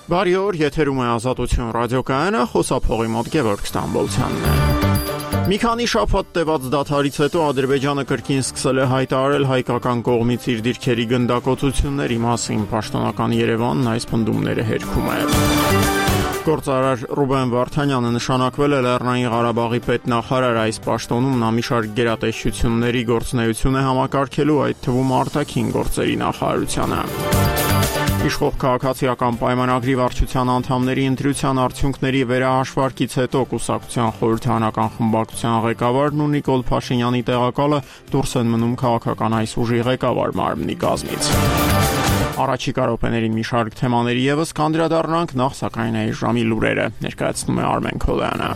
Բարի օր, եթերում է Ազատություն ռադիոկայանը, խոսափողի մոտ Գևորգ Ստամբոլցյանն է։ Մի քանի շաբաթ տևած դադարից հետո Ադրբեջանը կրկին սկսել է հայտարարել հայկական կողմից իր դիրքերի գնդակոծությունների մասին, պաշտոնական Երևանն այս պնդումները հերքում է։ Գործարար Ռուբեն Վարդանյանը նշանակվել է Լեռնային Ղարաբաղի պետնախարար, այս պաշտոնում նա մի շարք գերատեսչությունների գործունեություն է համակարգելու, այդ թվում արտաքին գործերի նախարարությանը։ Իշխող քաղաքացիական պայմանագրի վարչության անդամների ընտրության արդյունքների վերահաշվարկից հետո կուսակցության խորհրդարանական խմբակցության ղեկավարն ու Նիկոլ Փաշինյանի տեղակալը դուրս են մնում քաղաքական այս ուժի ղեկավար մարմնի կազմից։ Առաջիկա րոպեներին մի շարք թեմաների ևս կանդրադառնանք, նախ սակայն այս ժամի լուրերը ներկայացնում է Արմեն Քոլյանը։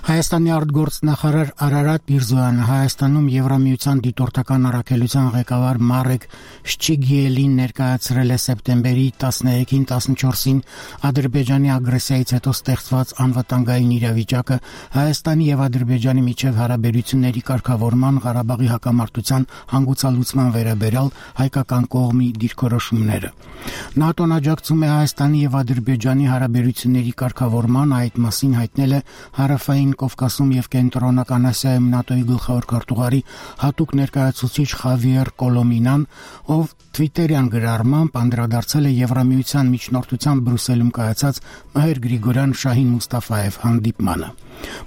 Հայաստանի արտգործնախարար Արարատ Միրզոյանը Հայաստանում Եվրամիության դիտորդական առաքելության ղեկավար Մարեկ Շչիգիելին ներկայացրել է սեպտեմբերի 13-ին 14-ին Ադրբեջանի ագրեսիայից հետո ստեղծված անվտանգային իրավիճակը, Հայաստանի եւ Ադրբեջանի միջև հարաբերությունների կարգավորման, Ղարաբաղի հակամարտության հանգուցալուծման վերաբերյալ հայկական կողմի դիրքորոշումները։ ՆԱՏՕ-ն աջակցում է Հայաստանի եւ Ադրբեջանի հարաբերությունների կարգավորման, այդ մասին հայտնել է Հարավային Կովկասում եւ Կենտրոնական Ասիայում ՆԱՏՕ-ի գլխավոր քարտուղարի հատուկ ներկայացուցիչ Խավիեր Կոլոմինան, ով Twitter-յան գրառմամբ անդրադարձել է Եվրամիության միջնորդությամբ Բրյուսելում կայացած Մհեր Գրիգորյան Շահին Մուստաֆաև հանդիպմանը։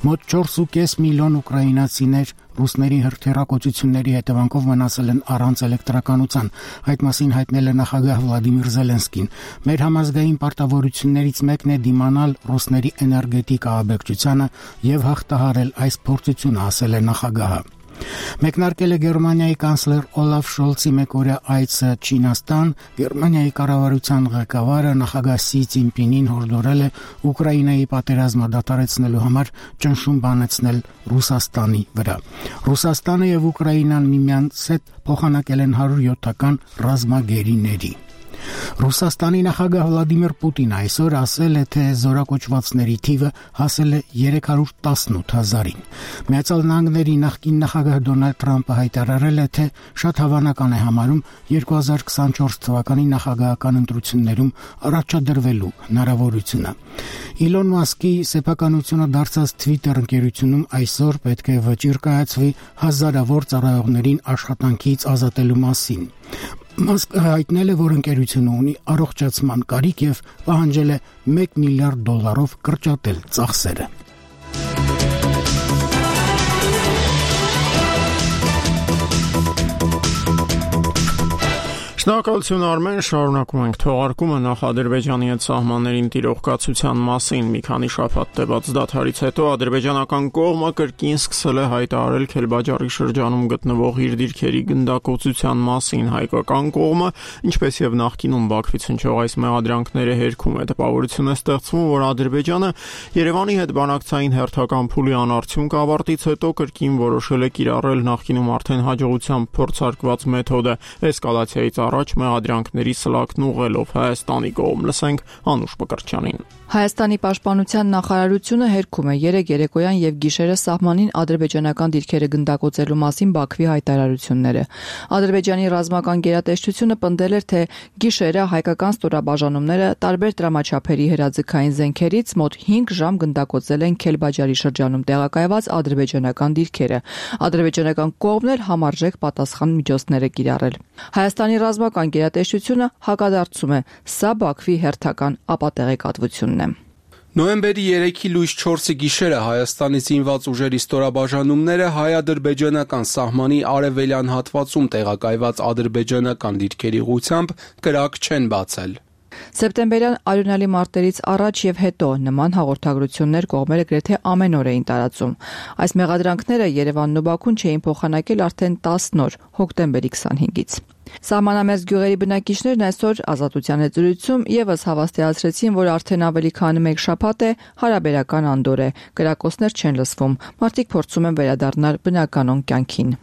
Մոտ 4.5 միլիոն ուկրաինացիներ ռուսների հրթիռակոծությունների հետևանքով մնացել են առանց էլեկտրականության, այդ մասին հայտնել է նախագահ Վլադիմիր Զելենսկին։ Մեր համազգային պարտավորություններից մեկն է դիմանալ ռուսների էներգետիկ ահաբեկչությանը եւ հաղթահարել այս փորձությունը, ասել է նախագահը։ Մեկնարկել է Գերմանիայի կանցլեր Օլաֆ Շոլցի մեկօրյա այցը Չինաստան, Գերմանիայի կառավարության ղեկավարը նախագահ Սի Ցինպինին հորդորել է Ուկրաինայի պատերազմը դադարեցնելու համար ճնշում բանեցնել Ռուսաստանի վրա։ Ռուսաստանը եւ Ուկրաինան միմյանց հետ փոխանակել են 107-ական ռազմագերիների։ Ռուսաստանի նախագահ Վլադիմիր Պուտինը այսօր ասել է, թե զորակոչվածների թիվը հասել է 318,000-ին։ Միացյալ Նահանգների նախկին նախագահ Դոնալդ Թրամփը հայտարարել է, թե շատ հավանական է համարում 2024 թվականի նախագահական ընտրություններում առաջադրվելու հնարավորությունը։ Իլոն Մասկի սեփականությունը դարձած Twitter ընկերությունում այսօր պետք է վճիռ կայացվի հազարավոր ծառայողներին աշխատանքից ազատելու մասին։ Մասկը հայտնել է, որ ընկերությունը ունի առողջացման կարիք եւ պահանջել է $1 միլիարդ կրճատել ծախսերը։ Շնորհակալություն Արմեն, շարունակում ենք թողարկումը նախ Ադրբեջանի հետ սահմաններին տիրող կացության մասին։ Մի քանի շաբաթ տևած դադարից հետո ադրբեջանական կողմը կրկին սկսել է հայտարարել Քելբաջարի շրջանում գտնվող իր դիրքերի գնդակոծության մասին։ Հայկական կողմը, ինչպես եւ նախկինում Բաքվից հնչող այս մեղադրանքները հերքում է, տպավորություն է ստեղծվում, որ Ադրբեջանը Երևանի հետ բանակցային հերթական փուլի անարդյունք ավարտից հետո կրկին որոշել է կիրառել նախկինում արդեն հաջողությամբ փորձարկված մեթոդը էսկալացիայից առաջ մեղադրանքների սլաքն ուղղելով Հայաստանի կողմ։ Լսենք Անուշ Մկրտչյանին։ Հայաստանի պաշտպանության նախարարությունը հերքում է երեկոյան եւ գիշերը սահմանին ադրբեջանական դիրքերը գնդակոծելու մասին Բաքվի հայտարարությունները։ Ադրբեջանի ռազմական գերատեսչությունը պնդել էր, թե գիշերը հայկական ստորաբաժանումները տարբեր դրամաչափերի հրաձգային զենքերից մոտ 5 ժամ գնդակոծել են Քելբաջարի շրջանում տեղակայված ադրբեջանական դիրքերը։ Ադրբեջանական կողմն էլ համարժեք պատասխան միջոցներ է կիրառել։ Հայաստանի ռազմական գերատեսչությունը հակադարձում է, սա Բաքվի հերթական ապատեղեկատվությունն է։ Նոյեմբերի 3-ի լույս 4-ի գիշերը Հայաստանի զինված ուժերի ստորաբաժանումները հայ-ադրբեջանական սահմանի արևելյան հատվածում տեղակայված ադրբեջանական դիրքերի ուղղությամբ կրակ չեն բացել։ Սեպտեմբերյան արյունալի մարտերից առաջ եւ հետո նման հաղորդագրություններ կողմերը գրեթե ամեն օր էին տարածում։ Այս մեղադրանքները Երևանն ու Բաքուն չէին փոխանակել արդեն 10 օր, հոկտեմբերի 25-ից։ Սահմանամերձ գյուղերի բնակիչներն այսօր Ազատության հետ զրույցում եւս հավաստիացրեցին, որ արդեն ավելի քան 1 շաբաթ է հարաբերական անդոր է, կրակոցներ չեն լսվում, մարդիկ փորձում են վերադառնալ բնականոն կյանքին։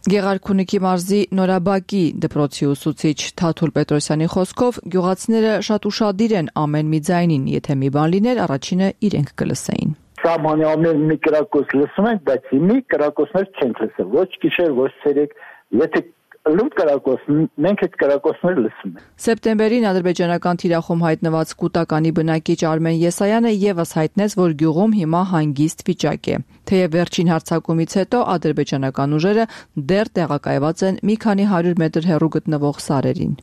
Գեղարքունիքի մարզի Նորաբակի դպրոցի ուսուցիչ Թաթուլ Պետրոսյանի խոսքով գյուղացիները շատ ուշադիր են ամեն մի ձայնին, եթե մի բան լիներ, առաջինը իրենք կլսեին։ Սահմանի ամեն մի կրակոց լսում ենք, բայց մի կրակոցներ չենք լսել, ոչ գիշեր, ոչ ցերեկ, Եթե լուտ կրակոցն, մենք այդ կրակոցները լսում ենք։ Սեպտեմբերին ադրբեջանական թիրախում հայտնված կուտականի բնակիչ Արմեն Եսայանը եւս հայտնեց, որ գյուղում հիմա հանգիստ վիճակ է։ Թեև վերջին հարձակումից հետո ադրբեջանական ուժերը դեռ տեղակայված են մի քանի 100 մետր հեռու գտնվող սարերին։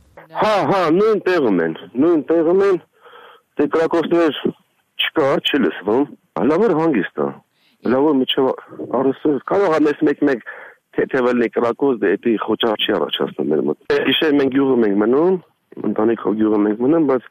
Նույն տեղում են, դե կրակոցներ չկա, չի լսվում, լավ հանգիստ է, լավ միջև առուսը, կարող է մեկ թեթևելնի կրակոց, դե էդի խոճար չի առաջացնում մեր մոտ։ Գիշեր մենք գյուղում ենք մնում, ընտանիքով գյուղում ենք մնում, բայց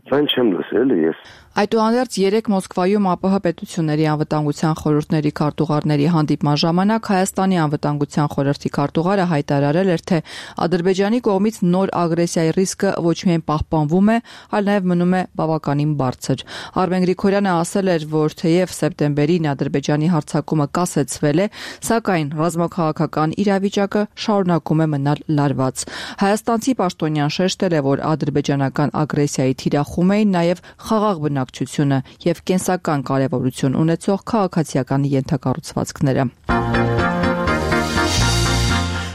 ձայն չեմ լսել ես։ Այդուհանդերձ 3 Մոսկվայում ԱՊՀ պետությունների անվտանգության խորհուրդների քարտուղարների հանդիպման ժամանակ Հայաստանի անվտանգության խորհրդի քարտուղարը հայտարարել էր, թե Ադրբեջանի կողմից նոր ագրեսիայի ռիսկը ոչ միայն պահպանվում է, այլ նաև մնում է բավականին բարձր։ Արմեն Գրիգորյանը ասել էր, որ թեև սեպտեմբերին Ադրբեջանի հարձակումը կասեցվել է, սակայն ռազմաքաղաքական իրավիճակը շարունակում է մնալ լարված։ Հայաստանցի պաշտոնյան շեշտել է, որ ադրբեջանական ագրեսիայի թիրախում էին նաև խաղաղ բնակչությունը եւ կենսական կարեւորություն ունեցող քաղաքացիական ենթակառուցվածքները։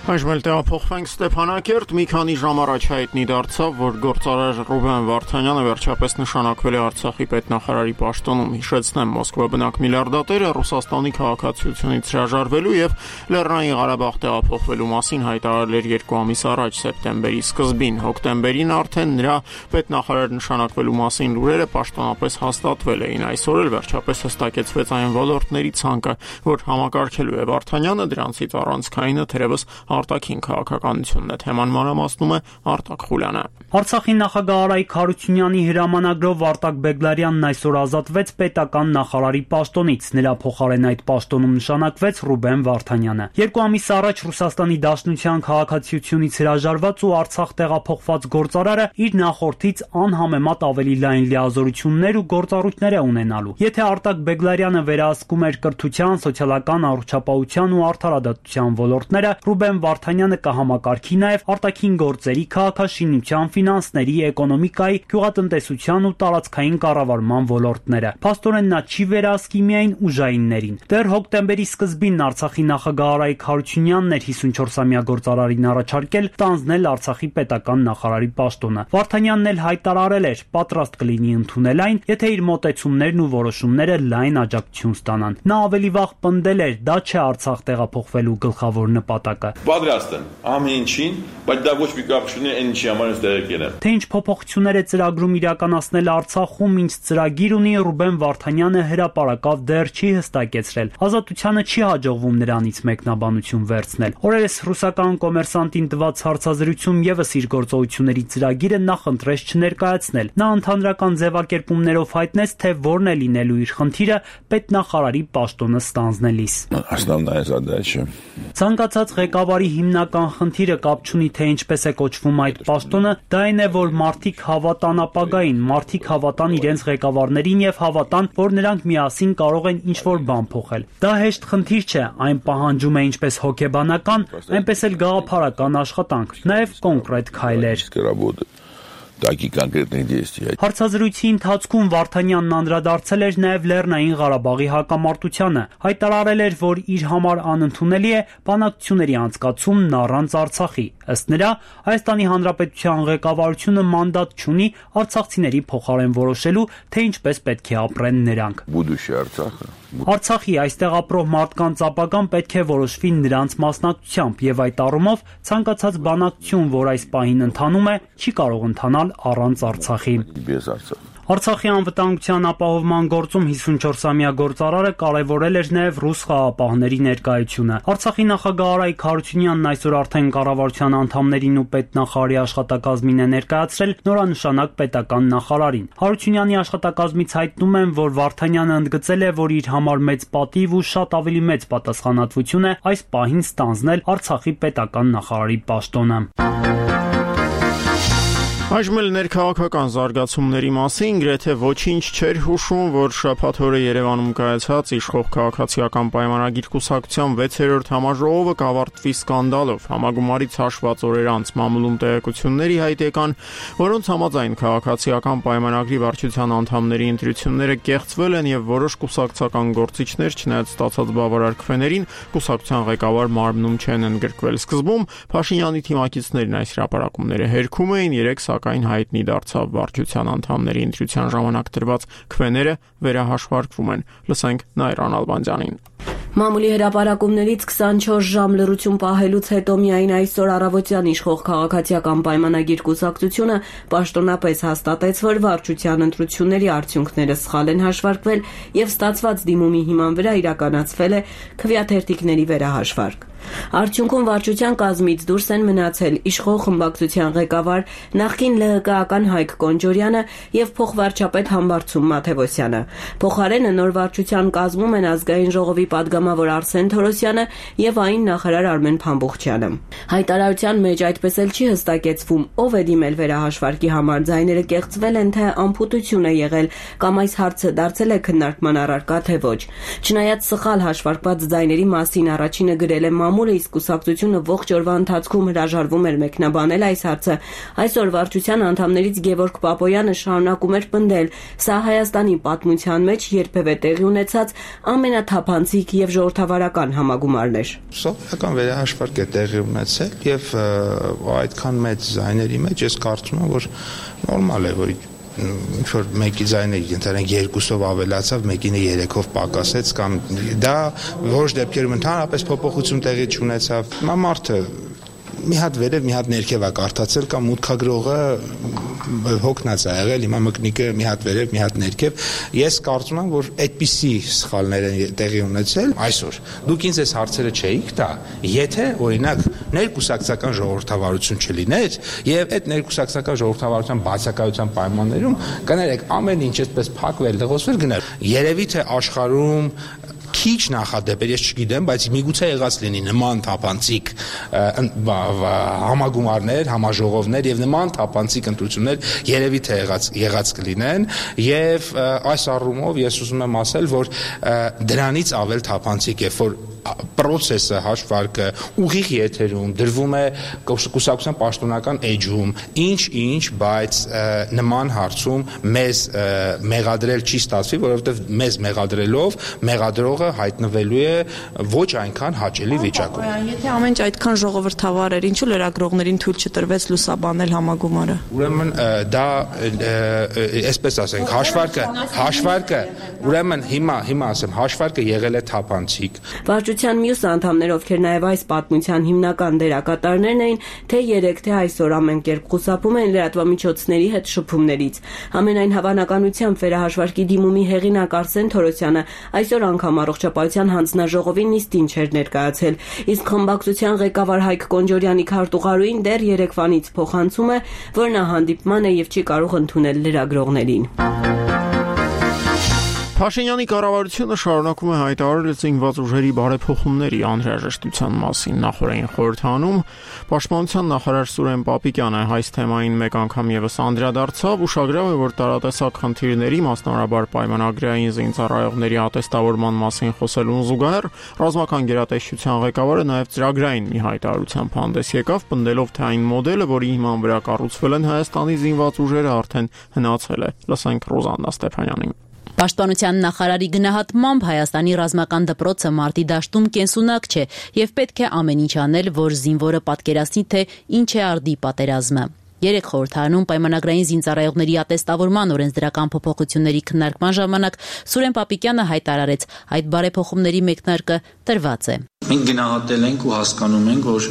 Այժմ էլ տեղափոխվենք Ստեփանակերտ, մի քանի ժամ առաջ հայտնի դարձավ, որ գործարար Ռուբեն Վարդանյանը վերջապես նշանակվել է Արցախի պետնախարարի պաշտոնում։ Հիշեցնեմ, Մոսկվա բնակ միլիարդատերը Ռուսաստանի քաղաքացիությունից հրաժարվելու եւ Լեռնային Ղարաբաղ տեղափոխվելու մասին հայտարարել էր 2 ամիս առաջ, սեպտեմբերի սկզբին։ Հոկտեմբերին արդեն նրա պետնախարար նշանակվելու մասին լուրերը պաշտոնապես հաստատվել էին։ Այսօր էլ վերջապես հստակեցվեց այն ոլորտների ցանկը, որ համակարգելու է Վարդանյանը, դրանցից առանցքայինը թերևս արտաքին քաղաքականությունն է, թեման մանրամասնում է Արտակ Խուլյանը։ Արցախի նախագահ Արայիկ Հարությունյանի հրամանագրով Արտակ Բեգլարյանն այսօր ազատվեց պետական նախարարի պաշտոնից։ Նրա փոխարեն այդ պաշտոնում նշանակվեց Ռուբեն Վարդանյանը։ 2 ամիս առաջ Ռուսաստանի Դաշնության քաղաքացիությունից հրաժարված ու Արցախ տեղափոխված գործարարը իր նախորդից անհամեմատ ավելի լայն լիազորություններ ու գործառույթներ է ունենալու։ Եթե Արտակ Բեգլարյանը վերահսկում էր կրթության, սոցիալական առողջապահության ու արդարադատության ոլորտները, Ռուբեն Վարդանյանը կհամակարգի նաև արտաքին գործերի, քաղաքաշինության, ֆինանսների, էկոնոմիկայի, գյուղատնտեսության ու տարածքային կառավարման ոլորտները։ Փաստորեն նա չի վերահսկի միայն ուժայիններին։ Դեռ հոկտեմբերի սկզբին Արցախի նախագահ Արայիկ Հարությունյանն էր 54-ամյա գործարարին առաջարկել ստանձնել Արցախի պետական նախարարի պաշտոնը։ Վարդանյանն էլ հայտարարել էր, պատրաստ կլինի ընդունել այն, եթե իր մոտեցումներն ու որոշումները լայն աջակցություն ստանան։ Նա ավելի վաղ պնդել էր, դա չէ Արցախ տեղափոխվելու գլխավոր նպատակը։ Պատրաստ են ամեն ինչին, բայց դա ոչ մի կապ չունի այն ինչի համար ես տեղեկ ելեմ։ Թե ինչ փոփոխություններ է ծրագրում իրականացնել Արցախում, ինչ ծրագիր ունի Ռուբեն Վարդանյանը հրապարակավ դեռ չի հստակեցրել։ Ազատությանը չի հաջողվում նրանից մեկնաբանություն վերցնել։ Օրերս ռուսական կոմերսանտին տված հարցազրույցում եւս իր գործողությունների ծրագիրը նախընտրեց չներկայացնել։ Նա ընդհանրական ձևակերպումներով հայտնեց, թե որն է լինելու իր խնդիրը պետնախարարի պաշտոնը ստանձնելիս։ Основная задача Ցանկացած ղեկավարի հիմնական խնդիրը կապ չունի թե ինչպես է կոչվում այդ պաշտոնը, դա այն է, որ մարդիկ հավատան ապագային, մարդիկ հավատան իրենց ղեկավարներին եւ հավատան, որ նրանք միասին կարող են ինչ-որ бан փոխել։ Դա հեշտ խնդիր չէ, այն պահանջում է ինչպես հոգեբանական, այնպես էլ գաղափարական աշխատանք, նաեւ կոնկրետ քայլեր։ Такие конкретные действия։ Հարցազրույցի ընթացքում Վարդանյանն անդրադարձել էր նաև Լեռնային Ղարաբաղի հակամարտությանը, հայտարարել էր, որ իր համար անընդունելի է բանակցությունների անցկացումն առանց Արցախի։ Ըստ նրա, Հայաստանի Հանրապետության ղեկավարությունը մանդատ չունի արցախցիների փոխարեն որոշելու, թե ինչպես պետք է ապրեն նրանք։ Արցախի այստեղ ապրող մարդկանց ապագան պետք է որոշվի նրանց մասնակցությամբ, եւ այդ առումով ցանկացած բանակցություն, որ այս պահին ընթանում է, չի կարող ընթանալ առանց Արցախի։ Արցախի անվտանգության ապահովման գործում 54-ամյա գործարարը կարևորել էր նաև ռուս խաղապահների ներկայությունը։ Արցախի նախագահ Արայիկ Հարությունյանն այսօր արդեն կառավարության անդամներին ու պետնախարարի աշխատակազմին է ներկայացրել նորանշանակ պետական նախարարին։ Հարությունյանի աշխատակազմից հայտնում են, որ Վարդանյանը ընդգծել է, որ իր համար մեծ պատիվ ու շատ ավելի մեծ պատասխանատվություն է այս պահին ստանձնել Արցախի պետական նախարարի պաշտոնը։ Այժմ էլ ներքաղաքական զարգացումների մասին գրեթե ոչինչ չէր հուշում, որ շաբաթ օրը Երևանում կայացած իշխող քաղաքացիական պայմանագիր կուսակցության 6-րդ համաժողովը կավարտվի սկանդալով։ Համագումարից հաշված օրեր անց մամուլում տեղեկությունների հայտ եկան, որոնց համաձայն քաղաքացիական պայմանագրի վարչության անդամների ընտրությունները կեղծվել են եւ որոշ կուսակցական գործիչներ, չնայած ստացած բավարար քվեներին, կուսակցության ղեկավար մարմնում չեն ընդգրկվել։ Սկզբում Փաշինյանի թիմակիցներն այս հրապարակումները հերքում էին, սակայն հայտնի դարձավ վարչության անդամների ընտրության ժամանակ տրված քվեները վերահաշվարկվում են։ Լսենք Նայր Անալբանդյանին։ Մամուլի հրապարակումներից 24 ժամ լռություն պահելուց հետո միայն այսօր առավոտյան իշխող քաղաքացիական պայմանագիր կուսակցությունը պաշտոնապես հաստատեց, որ վարչության ընտրությունների արդյունքները սխալ են հաշվարկվել եւ ստացված դիմումի հիման վրա իրականացվել է քվեաթերթիկների վերահաշվարկ։ Արդյունքում վարչության կազմից դուրս են մնացել իշխող խմբակցության ղեկավար նախկին ԼՀԿ-ական Հայկ Կոնջորյանը եւ փոխվարչապետ Համբարձում Մաթևոսյանը։ Փոխարենը նոր վարչության կազմում են ազգային ժողովի падգամավոր Արսեն Թորոսյանը եւ այն նախարար Արմեն Փամբուխչյանը։ Հայտարարության մեջ այդպես էլ չի հստակեցվում, ով է դիմել վերահաշվարկի համար, ձայները կեղծվել են, թե անփութություն է եղել կամ այս հարցը դարձել է քննարկման առարկա, թե ոչ։ Չնայած սխալ հաշվարկված ձայների մասին առաջինը գրել է մամուլը, իսկ կուսակցությունը ողջ օրվա ընթացքում հրաժարվում էր մեկնաբանել այս հարցը, այսօր վարչության անդամներից Գևորգ Պապոյանը շարունակում էր պնդել, սա Հայաստանի պատմության մեջ երբևէ տեղի ունեցած ամենաթափանցիկ եւ ժողովրդավարական համագումարն էր։ Սովետական վերահաշվարկ է տեղի ունեցել եւ այդքան մեծ ձայների մեջ ես կարծում եմ, որ նորմալ է, որ ինչ-որ մեկի ձայնը ընդհանրեն 2-ով ավելացավ, մեկինը 3-ով պակասեց կամ դա որոշ դեպքերում ընդհանրապես փոփոխություն տեղի չունեցավ։ Հիմա մարդը մի հատ վերև, մի հատ ներքև է կարդացել կամ մուտքագրողը հոգնած է եղել, հիմա մկնիկը մի հատ վերև, մի հատ ներքև։ Ես կարծում եմ, որ այդպիսի սխալներ են տեղի ունեցել այսօր։ Դուք ինձ այս հարցերը չէիք տա, եթե օրինակ ներկուսակցական ժողովրդավարություն չլիներ եւ այդ ներկուսակցական ժողովրդավարության բացակայության պայմաններում կներեք ամեն ինչ այսպես փակվել, դղոսվել գներ։ Երևի թե աշխարհում քիչ նախադեպեր, ես չգիտեմ, բայց միգուցե եղած լինի նման թափանցիկ համագումարներ, համաժողովներ եւ նման թափանցիկ ընտրություններ երևի թե եղած կլինեն եւ այս առումով ես ուզում եմ ասել, որ դրանից ավել թափանցիկ է, որ process-ը հաշվարկը ուղիղ եթերում դրվում է կուսակցության պաշտոնական էջում, ինչ, բայց նման հարցում մեզ մեղադրել չի ստացվի, որովհետև մեզ մեղադրելով մեղադրողը հայտնվելու է ոչ այնքան հաճելի վիճակում։ Եթե ամեն ինչ այդքան ժողովրդավար էր, ինչու լրագրողներին թույլ չտրվեց լուսաբանել համագումարը։ Ուրեմն դա այսպես ասենք, հաշվարկը, ուրեմն հիմա ասեմ, հաշվարկը եղել է թափանցիկ։ Վարչության մյուս անդամներ, ովքեր նաև այս պատմության հիմնական դերակատարներն էին, թե 3 թե այսօր ամեն կերպ խուսափում են լրատվամիջոցների հետ շփումներից։ Ամենայն հավանականությամբ վերահաշվարկի դիմումի հեղինակ Արսեն Թորոսյանը այսօր անգամ առողջապահության հանձնաժողովի նիստին չէր ներկայացել, իսկ խմբակցության ղեկավար Հայկ Կոնջորյանի քարտուղարուին դեռ երեկվանից փոխանցում է, որ նա հանդիպման է եւ չի կարող ընդունել լրագրողներին։ Փաշինյանի կառավարությունը շարունակում է հայտարարել զինված ուժերի բարեփոխումների անհրաժեշտության մասին։ Նախորդին խորհրդանում Պաշտպանության նախարար Սուրեն Պապիկյանը այս թեմային մեկ անգամ եւս անդրադարձավ, ուշագրավ է, որ տարատեսակ խնդիրների, մասնավորաբար պայմանագրային զինծառայողների ատեստավորման մասին խոսելուն զուգահեռ ռազմական գերատեսչության ղեկավարը նաեւ ծրագրային մի հայտարարությամբ հանդես եկավ, պնդելով, թե այն մոդելը, որի հիման վրա կառուցվել են Հայաստանի զինված ուժերը, արդեն հնացել է։ Լսենք Ռոզաննա Ստեփանյանին։ Պաշտպանության նախարարի գնահատմամբ Հայաստանի ռազմական դպրոցը մարտի դաշտում կենսունակ չէ եւ պետք է ամեն ինչ անել, որ զինվորը պատկերացնի, թե ինչ է արդի պատերազմը։ Երեք խորհրդարանում պայմանագրային զինծառայողների ատեստավորման օրենսդրական փոփոխությունների քննարկման ժամանակ Սուրեն Պապիկյանը հայտարարեց, այդ բարեփոխումների մեկնարկը տրված է։ Մենք գնահատել ենք ու հասկանում ենք, որ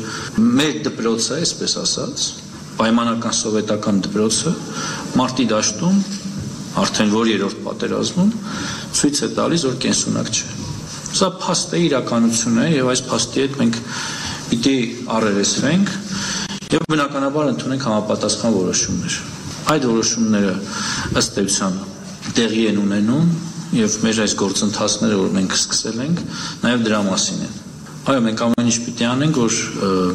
մեր դպրոցը, այսպես ասած, պայմանական սովետական դպրոցը մարտի դաշտում արդեն որ երրորդ պատերազմում ցույց է տալիս, որ կենսունակ չէ։ Սա փաստ է, իրականություն է եւ այս փաստի հետ մենք պիտի առերեսվենք եւ բնականաբար ընդունենք համապատասխան որոշումներ։ Այդ որոշումները ըստ էության տեղի են ունենում եւ մեր այս գործընթացները, որ մենք սկսել ենք, նաեւ դրա մասին են։ Այո, մենք ամեն ինչ պիտի անենք, որ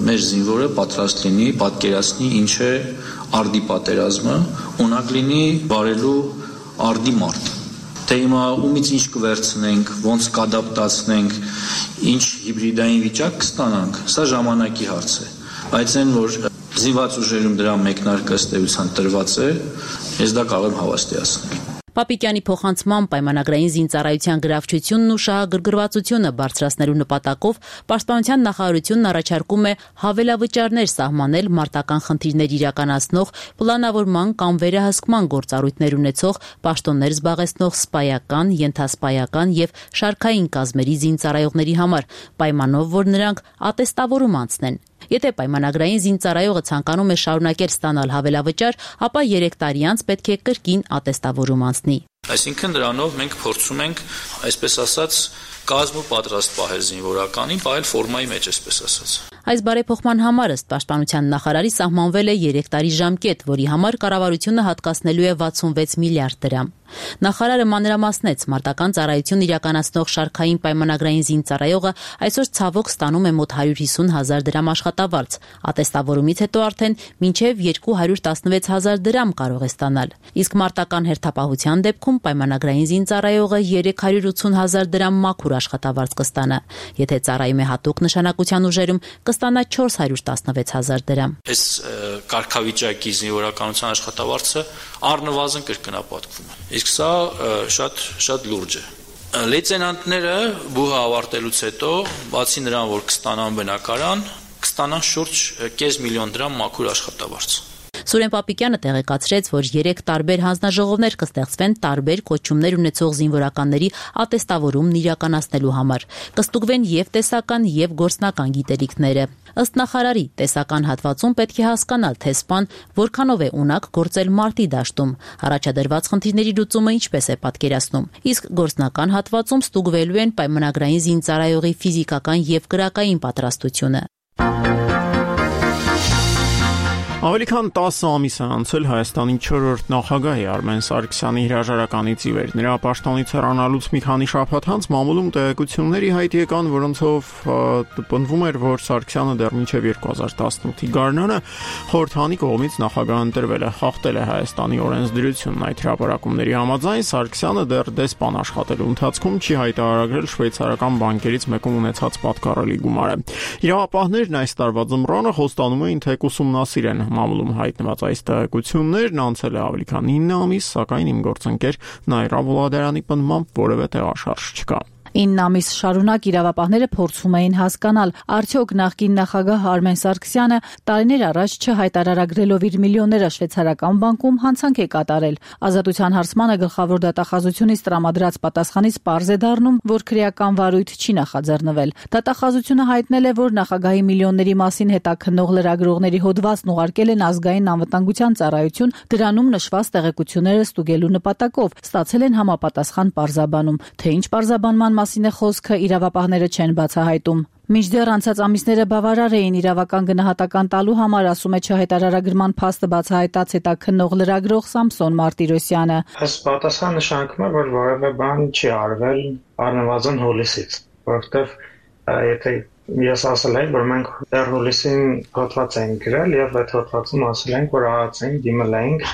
մեր զինվորը պատրաստ լինի, պատկերացնի ինչ է արդի պատերազմը ունակ լինի վարելու արդի մարդ։ Թե հիմա ումից ինչ կվերցնենք, ոնց կադապտացնենք, ինչ հիբրիդային վիճակ կստանանք, սա ժամանակի հարց է։ Բայց այն, որ զինված ուժերում դրա մեկնարկը ըստ էության տրված է, ես դա կարող եմ հավաստիացնել։ Պապիկյանի փոխանցման պայմանագրային զինծառայության գրավչությունն ու շահագրգռվածությունը բարձրացնելու նպատակով Պաշտպանության նախարարությունն առաջարկում է հավելավճարներ սահմանել մարտական խնդիրներ իրականացնող, պլանավորման կամ վերահսկման գործառույթներ ունեցող, պաշտոններ զբաղեցնող սպայական, ենթասպայական եւ շարքային կազմերի զինծառայողների համար, պայմանով, որ նրանք ատեստավորում անցնեն։ Եթե պայմանագրային զինծառայողը ցանկանում է շարունակել ստանալ հավելավճար, ապա 3 տարի անց պետք է կրկին ատեստավորում անցնի։ Այսինքն դրանով մենք փորձում ենք, այսպես ասած, կազմ ու պատրաստ պահել զինվորականին, պահել ֆորմայի մեջ, այսպես ասած։ Այս բարեփոխման համար ըստ Պաշտպանության նախարարի սահմանվել է 3 տարի ժամկետ, որի համար կառավարությունը հատկացնելու է 66 միլիարդ դրամ։ Նախարարը մանրամասնեց, մարտական ծառայություն իրականացնող շարքային պայմանագրային զինծառայողը այսօր ցավոք ստանում է մոտ 150,000 դրամ աշխատավարձ, ատեստավորումից հետո արդեն մինչև 216,000 դրամ կարող է ստանալ, իսկ մարտական հերթապահության դեպքում պայմանագրային զինծառայողը 380,000 դրամ մաքուր աշխատավարձ կստանա, եթե ծառայում է հատուկ նշանակության ուժերում կստանա 416,000 դրամ։ Այս կարգավիճակի զինվորականության աշխատավարձը առնվազն կրկնապատկվում է։ Իսկ սա շատ լուրջ է։ Լեյտենանտները բուհը ավարտելուց հետո, բացի նրան, որ կստանան բնակարան, կստանան շուրջ 500,000 դրամ մաքուր աշխատավարձ։ Սուրեն Պապիկյանը տեղեկացրեց, որ 3 տարբեր հանձնաժողովներ կստեղծվեն տարբեր կոչումներ ունեցող զինվորականների ատեստավորումն իրականացնելու համար։ Կստուգվեն եւ տեսական եւ գործնական գիտելիքները։ Ըստ նախարարի, տեսական հատվածում պետք է հասկանալ, թե սպան որքանով է ունակ գործել մարտի դաշտում, առաջադրված խնդիրների լուծումը ինչպես է պատկերացնում, իսկ գործնական հատվածում ստուգվելու են պայմանագրային զինծառայողի ֆիզիկական եւ կրակային պատրաստությունը։ Ավելի քան 10 ամիս է անցել Հայաստանի 4-րդ նախագահի Արմեն Սարգսյանի հրաժարականից ի վեր։ Նրա պաշտոնից հեռանալուց մի քանի շաբաթ անց մամուլում տեղեկությունների հայտ եկան, որոնցով պնդվում էր, որ Սարգսյանը դեռ մինչև 2018-ի գարնանը խորհրդանի կողմից նախագահ ընտրվել է, խախտել է Հայաստանի օրենսդրությունն։ Այդ հրապարակումների համաձայն Սարգսյանը դեռ դեսպան աշխատելու ընթացքում չի հայտարարել շվեյցարական բանկերից մեկում ունեցած պատկառելի գումարը։ Իրավապահներն այս տարվա ձմռանը խոստանում էին, թե կուսումնասիրեն մամուլում հայտնված այս տեղեկություններն, անցել է ավելի քան 9 ամիս, սակայն իմ գործընկեր Նայրա Վոլադարյանի պնդմամբ որևէ տեղաշարժ չկա։ 9 ամիս շարունակ իրավապահները փորձում էին հասկանալ, արդյոք նախկին նախագահ Արմեն Սարգսյանը տարիներ առաջ չհայտարարագրելով իր միլիոնները շվեյցարական բանկում հանցանք է կատարել։ Ազատության հարցմանը գլխավոր դատախազությունից տրամադրած պատասխանից պարզ է դառնում, որ քրեական վարույթ չի նախաձեռնվել։ Դատախազությունը հայտնել է, որ նախագահի միլիոնների մասին հետաքննող լրագրողների հոդվածն ուղարկել են ազգային անվտանգության ծառայություն, դրանում նշված տեղեկությունները ստուգելու նպատակով, ստացել են համապատասխան պարզաբանում, թե ինչ պարզաբանման մասին է խոսքը, իրավապահները չեն բացահայտում։ Մինչդեռ անցած ամիսները բավարար էին իրավական գնահատական տալու համար, ասում է չհայտարարագրման փաստը բացահայտած հետաքննող լրագրող Սամսոն Մարտիրոսյանը։ Ըստ պատասխան նշանակում է, որ որևէ բան չի արվել առնվազն հուլիսից, որովհետև եթե ես ասել եմ, որ մենք դեռ հուլիսին հոդված ենք գրել եւ այդ հոդվածում ասել ենք, որ ԱԱՑ-ին դիմել ենք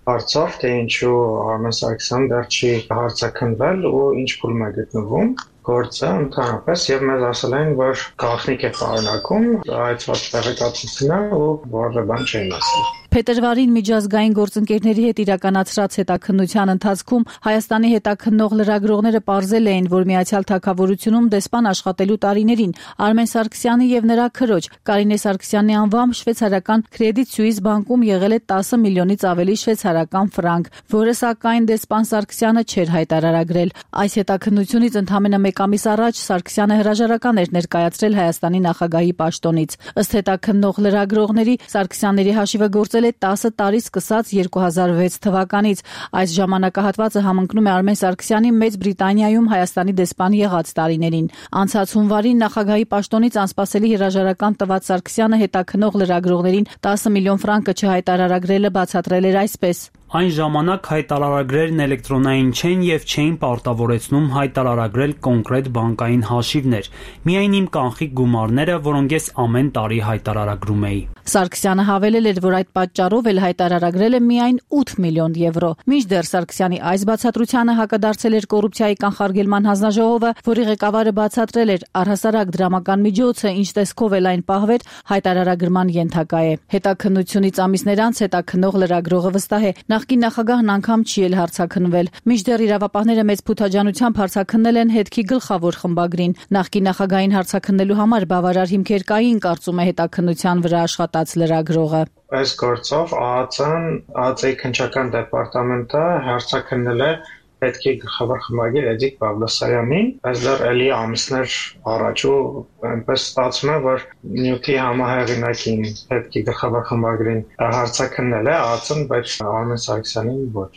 հարցով, թե ինչու Արմեն Սարգսյանը դեռ չի հարցաքննվել ու ինչ փուլում է գտնվում գործը ընդհանրապես եւ մեզ ասել են, որ գաղտնիք է պարունակում այդ տեղեկատվությունը ու որևէ բան չեն ասել։ Փետրվարին միջազգային գործընկերների հետ իրականացրած հետաքննության ընթացքում Հայաստանի հետաքննող լրագրողները պարզել էին, որ Միացյալ Թագավորությունում դեսպան աշխատելու տարիներին Արմեն Սարգսյանի եւ նրա քրոջ Կարինե Սարգսյանի անվամբ շվեյցարական Credit Suisse բանկում եղել է 10 միլիոնից ավելի շվեյցարական ֆրանկ, որը սակայն դեսպան Սարգսյանը չէր հայտարարագրել։ Այս հետաքննությունից ընդամենը 1 ամիս առաջ Սարգսյանը հրաժարական էր ներկայացրել Հայաստանի նախագահի պաշտոնից։ Ըստ հետաքննող լրագրողների Սարգսյանների հաշիվը գործել է 10 տարի սկսած 2006 թվականից։ Այս ժամանակահատվածը համընկնում է Արմեն Սարգսյանի Մեծ Բրիտանիայում Հայաստանի դեսպան եղած տարիներին։ Անցած հունվարին նախագահի պաշտոնից անսպասելի հրաժարական տված Սարգսյանը հետաքննող լրագրողներին 10 միլիոն ֆրանկը չհայտարարագրելը բացատրել էր այսպես. Այն ժամանակ հայտարարագրերն էլեկտրոնային չեն եւ չէին պարտավորեցնում հայտարարագրել կոնկրետ բանկային հաշիվներ, միայն իմ կանխիկ գումարները, որոնք ես ամեն տարի հայտարարագրում էի։ Սարգսյանը հավելել էր, որ այդ պատճառով էլ հայտարարագրել է միայն 8 միլիոն եվրո։ Մինչդեռ Սարգսյանի այս բացատրությանը հակադարձել էր կոռուպցիայի կանխարգելման հանձնաժողովը, որի ղեկավարը բացատրել էր, առհասարակ դրամական միջոցը, ինչ տեսքով էլ այն պահվեր, հայտարարագրման ենթակա է։ Հետաքննությունից ամիսներ անց հետաքննող լրագրողը վստահ է, նախկին նախագահն անգամ չի էլ հարցաքննվել։ Մինչդեռ իրավապահները մեծ փութաջանությամբ հարցաքննել են հետքի գլխավոր խմբագրին։ Նախկին նախագահին հարցաքննելու համար բավարար հիմքեր կային, կարծում է հետաքննության վրա աշխատած լրագրողը։ Այս գործով ԱԱԾ-ի քննչական դեպարտամենտը հարցաքննել է հետքի գլխավոր խմբագիր Էդիկ Պավլոսյանին, այս դեռ էլի ամիսներ առաջ ու այնպես ստացվում է, որ նյութի համահեղինակին հետքի գլխավոր խմբագրին հարցաքննել է ԱԱԾ-ն, բայց Արմեն Սարգսյանին ոչ։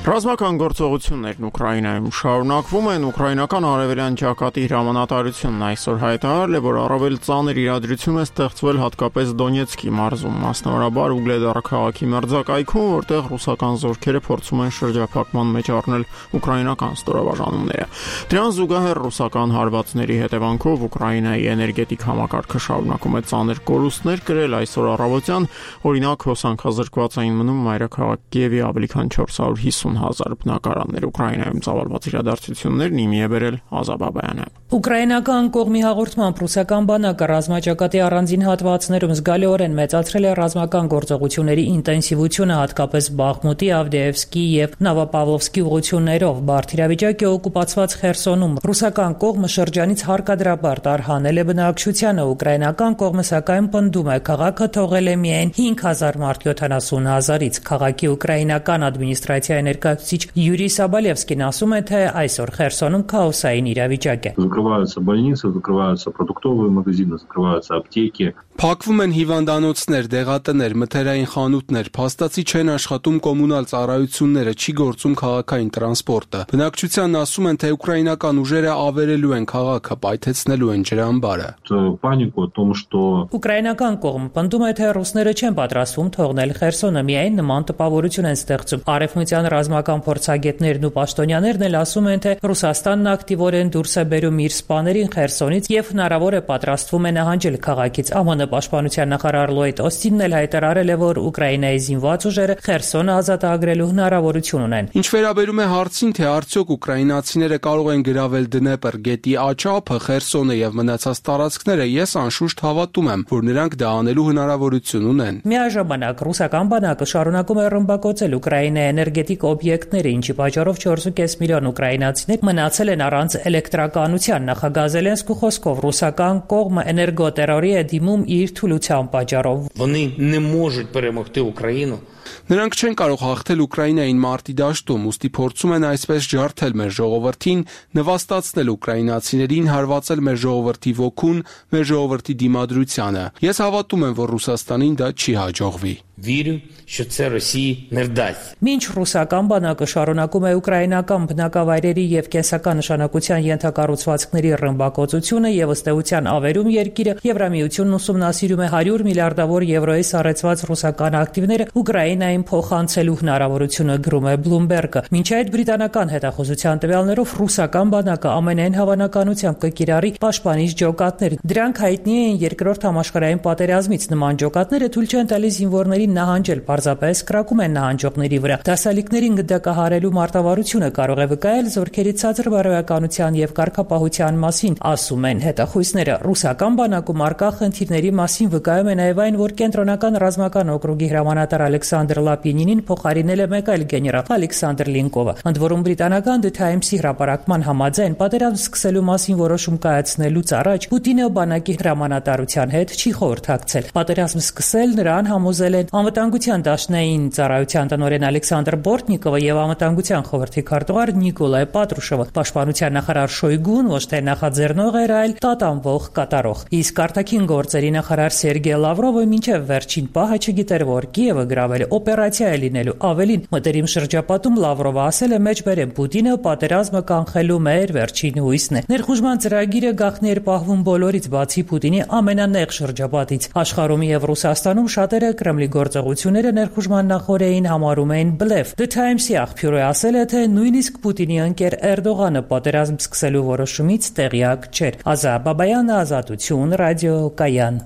Ռազմական գործողություններն Ուկրաինայում շարունակվում են։ Ուկրաինական արևելյան ճակատի հրամանատարությունն այսօր հայտարարել է, որ առավել ծանր իրադրություն է ստեղծվել հատկապես Դոնեցկի մարզում, մասնավորաբար Ուգլեդար քաղաքի մերձակայքում, որտեղ ռուսական զորքերը փորձում են շրջափակման մեջ առնել ուկրաինական ստորաբաժանումները։ Դրան զուգահեռ ռուսական հարվածների հետևանքով Ուկրաինայի էներգետիկ համակարգը շարունակում է ծանր կորուստներ կրել։ Այսօր առավոտյան, օրինակ, հոսանքազրկված էին մնում մայրաքաղաք Կիևի ավելի քան 450,000 բնակարաններ։ Ուկրաինայում ծավալված իրադարձություններն իմի է բերել Ազատ Բաբայանը։ Ուկրաինական կողմի հաղորդմամբ ռուսական բանակը ռազմաճակատի առանձին հատվածներում զգալիորեն մեծացրել է ռազմական գործողությունների ինտենսիվությունը, հատկապես Բախմուտի, Ավդեևսկի եւ Նովոպավլովսկի ուղղություններով։ Բարդ իրավիճակ է օկուպացված Խերսոնում։ Ռուսական կողմը շրջանից հարկադրաբար տարհանել է բնակչությանը, ուկրաինական կողմը սակայն պնդում է, քաղաքը թողել է միայն 5,000 մարդ 70,000-ից։ Քաղաքի ուկրաինական ադմինիստրացիայի ներկայացուցիչ Յուրի Սաբալևսկին ասում է, թե այսօր Խերսոնում քաոսային իրավիճակ է։ Закрываются больницы, закрываются продуктовые магазины, закрываются аптеки. Փակվում են հիվանդանոցներ, դեղատներ, մթերային խանութներ, փաստացի չեն աշխատում կոմունալ ծառայությունները, չի գործում քաղաքային տրանսպորտը։ Բնակչությանն ասում են, թե ուկրաինական ուժերը ավերելու են քաղաքը, պայթեցնելու են ջրամբարը։ Панику о том, что Ուկրաինական կողմը պնդում է, թե ռուսները չեն պատրաստվում թողնել Խերսոնը, միայն նման տպավորություն են ստեղծում։ Արևմտյան ռազմական փորձագետներն ու պաշտոնյաներն էլ ասում են, թե Ռուսաստանն ակտիվորեն դուրս է բերում իր սպաներին Խերսոնից եւ հնարավոր է պատրաստվում է նահանջել քաղաքից։ ԱՄՆ Պաշտպանության նախարար Լոյդ Օստինն էլ հայտարարել է, որ Ուկրաինայի զինված ուժերը Խերսոնը ազատագրելու հնարավորություն ունեն։ Ինչ վերաբերում է հարցին, թե արդյոք ուկրաինացիները կարող են գրավել Դնեպր գետի աճափը, Խերսոնը եւ մնացած տարածքները, ես անշուշտ հավատում եմ, որ նրանք դա անելու հնարավորություն ունեն։ Միաժամանակ ռուսական բանակը շարունակում է ռմբակոծել Ուկրաինայի էներգետիկ օբյեկտները, ինչի պատճառով 4.5 միլիոն ուկրաինացիներ մնացել են առանց էլեկտրականության։ Նախագահ Զելենսկու խոսքով ռուսական կողմը էներգոտերորի է դիմում իր թուլության պատճառով։ Вони не можуть перемогти Україну. Նրանք չեն կարող հաղթել Ուկրաինային մարտի դաշտում, ուստի փորձում են այսպես ջարդել մեր ժողովրդին, նվաստացնել ուկրաինացիներին, հարվածել մեր ժողովրդի ոգուն, մեր ժողովրդի դիմադրությանը։ Ես հավատում եմ, որ Ռուսաստանին դա չի հաջողվի։ Вірю, що це Росії не вдасться. Մինչ ռուսական բանակը շարունակում է ուկրաինական բնակավայրերի եւ կենսական նշանակության ենթակառուցվածքների ռմբակոծությունը եւ ըստ էության ավերում երկիրը Եվրամիությունն ուսումնասիրում է 100 միլիարդավոր եվրոյի սառեցված ռուսական ակտիվները Ուկրաինային փոխանցելու հնարավորությունը, գրում է Bloomberg-ը։ Մինչ այդ բրիտանական հետախուզության տվյալներով ռուսական բանակը ամենայն հավանականությամբ կկիրառի պաշտպանիչ ջոկատներ։ Դրանք հայտնի են երկրորդ համաշխարհային պատերազմից։ Նման ջոկատները թույլ չեն տալիս զինվորներին նահանջել, պարզապես կրակում են նահանջողների վրա։ Դասալիկներին գնդակահարելու մարտավարությունը կարող է վկայել զորքերի ցածր բարոյականության եւ կարգապահության մասին, ասում են հետախույզները։ Ռուսական բանակում արկա խնդիրների մասին վկայում է նաեւ այն, որ կենտրոնական ռազմական օկրուգի հրամանատար Ալեքսանդր Լապինինին փոխարինել է մեկ այլ գեներալ Ալեքսանդր Լինկովը։ Ընդ որում բրիտանական The Times-ի հրապարակման համաձայն պատերազմ սկսելու մասին որոշում կայացնելուց առաջ Պուտինը բանակի հրամանատարության հետ չի խորհրդակցել։ Պատերազմ սկսել նրան համոզել են Անվտանգության դաշնային ծառայության տնօրեն Ալեքսանդր Բորտնիկովը եւ Անվտանգության խորհրդի քարտուղար Նիկոլայ Պատրուշովը։ Պաշտպանության նախարար Շոյգուն ոչ թե նախաձեռնող էր, այլ տատանվող կատարող։ Իսկ արտաքին գործերի նախարար Սերգեյ Լավրովը մինչև վերջին պահը չգիտեր, որ Կիևը գրավել է օպերացիա է լինելու։ Ավելին, մտերիմ շրջապատում Լավրովը ասել է մեջբերեմ Պուտինը պատերազմը կանխելու մեր վերջին հույսն է։ Ներխուժման ծրագիրը գաղտնի էր պահվում բոլորից, բացի Պուտինի ամենանեղ շրջապատից։ Աշխարհում եւ Ռուսաստանում շատերը Կրեմլի գործողությունները ներխուժման նախօրեին համարում էին բլեֆ։ The Times-ի աղբյուրը ասել է, թե նույնիսկ Պուտինի ընկեր Էրդողանը պատերազմ սկսելու որոշումից տեղյակ չէր։ Ազա Բաբայանը, Ազատություն, Ռադիո Կայան։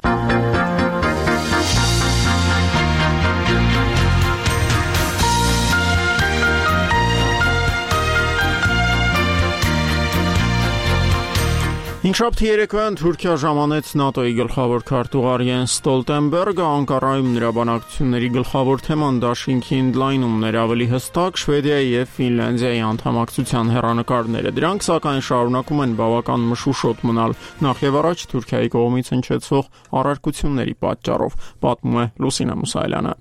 Հինգշաբթի երեկոյան Թուրքիա ժամանեց ՆԱՏՕ-ի գլխավոր քարտուղար Յենս Ստոլտենբերգը, Անկարայում նրա բանակցությունների գլխավոր թեման դաշինքի ընդլայնումն էր, ավելի հստակ Շվեդիայի եւ Ֆինլանդիայի անդամակցության հեռանկարները։ Դրանք սակայն շարունակում են բավական մշուշոտ մնալ, նախ եւ առաջ Թուրքիայի կողմից հնչեցող առարկությունների պատճառով, պատմում է Լուսինա Մուսայելյանը։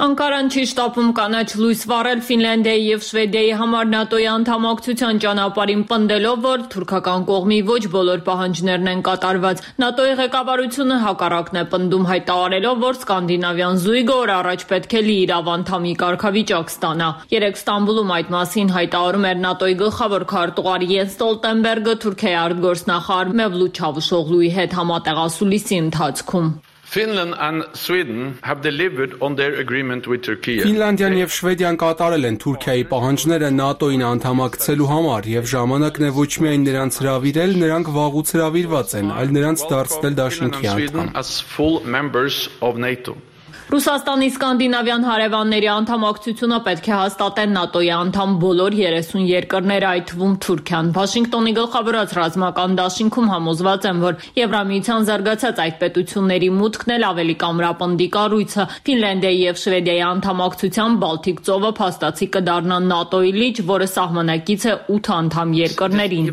Անկարան չի շտապում կանաչ լույս վառել Ֆինլանդիայի եւ Շվեդիայի համար ՆԱՏՕ-ի անդամակցության ճանապարհին, պնդելով, որ թուրքական կողմի ոչ բոլոր պահանջներն են կատարված։ ՆԱՏՕ-ի ղեկավարությունը հակառակն է պնդում, հայտարարելով, որ սկանդինավյան զույգը օր առաջ պետք է լիիրավ անդամի կարգավիճակ ստանա։ Երեկ Ստամբուլում այդ մասին հայտարարում էր ՆԱՏՕ-ի գլխավոր քարտուղար Յենս Ստոլտենբերգը Թուրքիայի արտգործնախարար Մևլութ Չավուշօղլուի հետ համատեղասուլիսի ընթացքում։ Finland and Sweden have delivered on their agreement with Turkey. Ֆինլանդիան եւ Շվեդիան կատարել են Թուրքիայի պահանջները ՆԱՏՕ-ին անդամակցելու համար եւ ժամանակն է ոչ միայն նրանց հրավիրել, նրանք վաղուց հրավիրված են, այլ նրանց դարձնել դաշինքի անդամ։ Ռուսաստանի սկանդինավյան հարևանների անդամակցությունը պետք է հաստատեն ՆԱՏՕ-ի անդամ բոլոր 30 երկրները, այդ թվում Թուրքիան։ Վաշինգտոնի գլխավորած ռազմական դաշինքում համոզված են, որ Եվրամիության զարգացած այդ պետությունների մուտքն էլ ավելի կամրապնդի կառույցը։ Ֆինլանդիայի եւ Շվեդիայի անդամակցությամբ Բալթիկ ծովը փաստացի կդառնա ՆԱՏՕ-ի լիճ, որը սահմանակից է 8 անդամ երկրներին։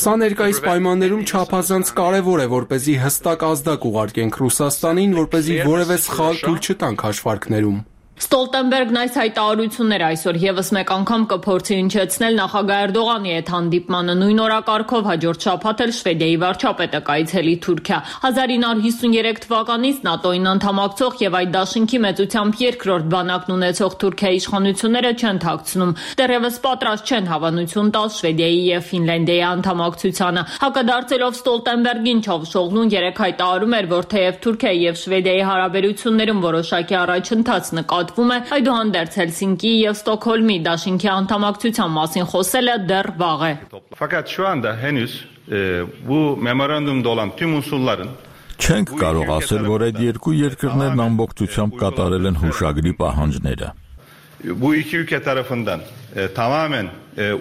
Սա ներկայիս պայմաններում չափազանց կարևոր է, որպեսզի հստակ ազդակ ուղարկենք Ռուսաստանին, որպեսզի որևէ սխալ թույլ չտանք հաշվարկներում։ Ստոլտենբերգն այս հայտարարությունները այսօր եւս մեկ անգամ կփորձի հնչեցնել նախագահ Էրդողանի հետ հանդիպմանը, նույն օրակարգով հաջորդ շաբաթ էլ Շվեդիայի վարչապետը կայցելի Թուրքիա։ 1953 թվականից ՆԱՏՕ-ին անդամակցող եւ այդ դաշինքի մեծությամբ երկրորդ բանակն ունեցող Թուրքիայի իշխանությունները չեն թաքցնում, դեռևս պատրաստ չեն հավանություն տալ Շվեդիայի եւ Ֆինլանդիայի անդամակցությանը։ Հակադարձելով Ստոլտենբերգին, Չավուշօղլուն երեկ հայտարարում էր, որ թեև Թուրքիայի եւ Շվեդիայի հարաբերություններում որոշակի առաջընթաց նկատվում է, այդուհանդերձ Հելսինկիի եւ Ստոկհոլմի դաշինքի անդամակցության մասին խոսելը դեռ վաղ է։ Fakat şu anda henüz bu memorandumda olan tüm unsurların Չենք կարող ասել, որ այդ երկու երկրներն ամբողջությամբ կատարել են հուշագրի պահանջները։ Bu iki ülke tarafından tamamen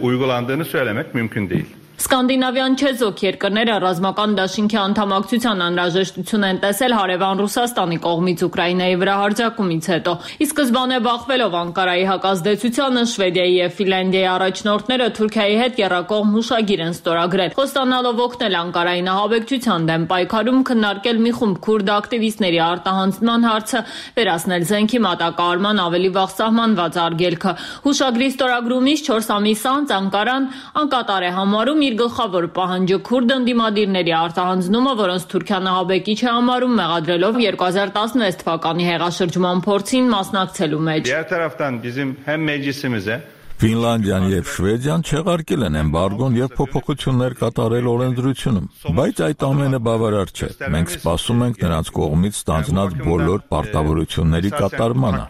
uygulandığını söylemek mümkün değil. Սկանդինավյան չեզոք երկրները ռազմական դաշինքի անդամակցության անհրաժեշտություն են տեսել հարևան Ռուսաստանի կողմից Ուկրաինայի վրա հարձակումից հետո։ Ի սկզբանե բախվելով Անկարայի հակազդեցությանը, Շվեդիայի եւ Ֆինլանդիայի առաջնորդները Թուրքիայի հետ եռակողմ հուշագիր են ստորագրել, խոստանալով օգնել Անկարայի նահաբեկչության դեմ պայքարում, քննարկել մի խումբ քուրդ ակտիվիստների արտահանձնման հարցը, վերացնել զենքի մատակարարման ավելի վաղ սահմանված արգելքը։ Հուշագրի ստորագրումից 4 ամիս անց Անկարան անկատար է համարում իր գլխավոր պահանջը քուրդ ընդդիմադիրների արտահանձնումը, որոնց Թուրքիան ահաբեկիչ է համարում, մեղադրելով 2016 թվականի հեղաշրջման փորձին մասնակցելու մեջ։ Diğer taraftan bizim hem meclisimize Ֆինլանդիան եւ Շվեդիան չեղարկել են էմբարգոն եւ փոփոխություններ կատարել օրենսդրությունում, բայց այդ ամենը բավարար չէ։ Մենք սպասում ենք նրանց կողմից ստանձնած բոլոր պարտավորությունների կատարմանը։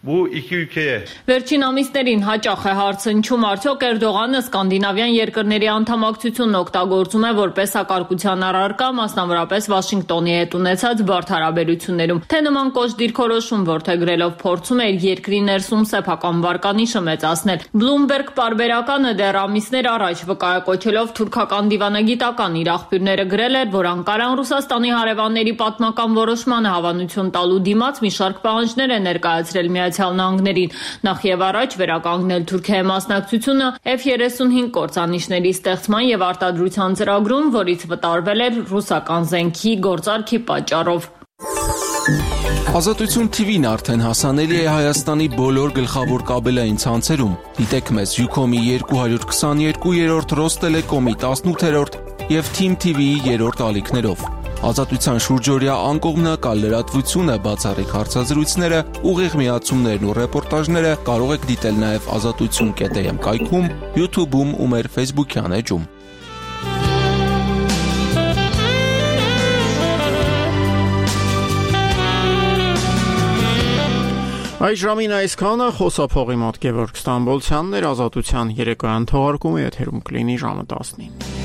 Վերջին ամիսներին հաճախ է հարցնչում, արդյոք Էրդողանը սկանդինավյան երկրների անդամակցությունն օգտագործում է որպես հակարկության առարկա, մասնավորապես Վաշինգտոնի հետ ունեցած բարդ հարաբերություններում, թե նման կոշտ դիրքորոշում որդեգրելով փորձում է իր երկրի ներսում սեփական վարկանիշը մեծացնել։ Bloomberg պարբերականը դեռ ամիսներ առաջ վկայակոչելով թուրքական դիվանագիտական իր աղբյուրները գրել էր, որ Անկարան Ռուսաստանի հարևանների պատմական որոշմանը հավանություն տալու դիմաց մի շարք պահանջներ է ներկայացրել Միացյալ Նահանգներին, նախ եւ առաջ վերականգնել Թուրքիայի մասնակցությունը F-35 կործանիչների ստեղծման եւ արտադրության ծրագրում, որից վտարվել էր ռուսական զենքի գործարքի պատճառով։ Ազատություն TV-ն արդեն հասանելի է Հայաստանի բոլոր գլխավոր կաբելային ցանցերում։ Դիտեք մեզ Ucom-ի 222-րդ, Ռոստելեկոմի 18-րդ եւ Team TV-ի 3-րդ ալիքներով։ Ազատության շուրջօրյա անկողմնակալ լրատվությունը, բացառիկ հարցազրույցները, ուղիղ միացումներն ու ռեպորտաժները կարող եք դիտել նաև azatutsun.am կայքում, YouTube-ում ու մեր Facebook-յան էջում։ Այս ժամին այսքանը խոսափողի մոտ Գևորգ Ստամբոլցյանն էր, Ազատության երեկոյան թողարկումը եթերում կլինի ժամը 19-ին։